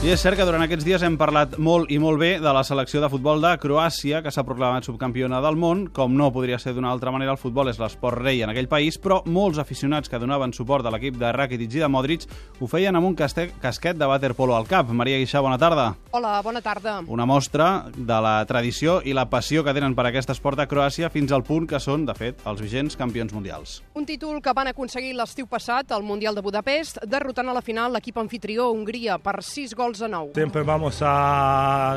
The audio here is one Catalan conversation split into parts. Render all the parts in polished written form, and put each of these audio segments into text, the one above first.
I és cert que durant aquests dies hem parlat molt i molt bé de la selecció de futbol de Croàcia, que s'ha proclamat subcampiona del món. Com no podria ser d'una altra manera, el futbol és l'esport rei en aquell país, però molts aficionats que donaven suport a l'equip de Rakitic i de Modric ho feien amb un casquet de waterpolo al cap. Maria Guixà, bona tarda. Hola, bona tarda. Una mostra de la tradició i la passió que tenen per aquest esport a Croàcia fins al punt que són, de fet, els vigents campions mundials. Un títol que van aconseguir l'estiu passat al Mundial de Budapest, derrotant a la final l'equip anfitrió Hongria per 6 gols a 9. Siempre vamos a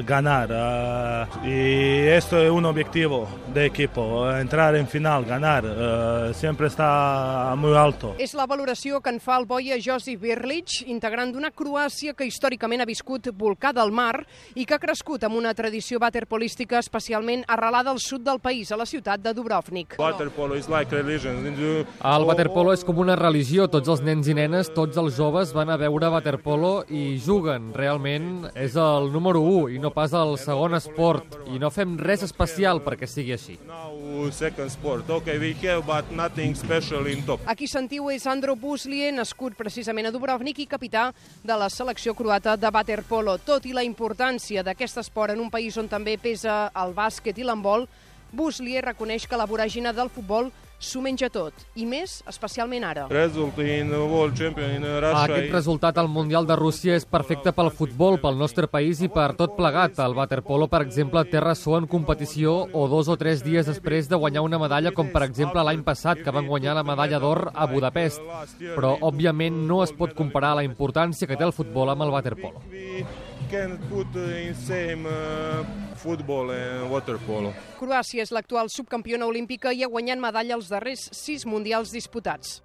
ganar y esto es un objetivo de equipo, entrar en final, ganar, siempre está muy alto. És la valoració que en fa el boia Josip Birlic, integrant d'una Croàcia que històricament ha viscut volcada al mar i que ha crescut amb una tradició waterpolística especialment arrelada al sud del país, a la ciutat de Dubrovnik. El waterpolo és com una religió. Tots els nens i nenes, tots els joves van a veure waterpolo i juguen. Realment és el número 1 i no pas el segon esport. I no fem res especial perquè sigui així. Aquí sentiu és Andro Buslie, nascut precisament a Dubrovnik i capità de la selecció croata de waterpolo. Tot i la importància d'aquest esport en un país on també pesa el bàsquet i l'handbol, Buslie reconeix que la voràgine del futbol s'ho menja tot, i més especialment ara. Aquest resultat al Mundial de Rússia és perfecte pel futbol, pel nostre país i per tot plegat. El waterpolo, per exemple, té ressò en competició o 2 o 3 dies després de guanyar una medalla, com per exemple l'any passat, que van guanyar la medalla d'or a Budapest. Però, òbviament, no es pot comparar la importància que té el futbol amb el waterpolo. Croàcia és l'actual subcampiona olímpica i ha guanyat medalla als darrers 6 mundials disputats.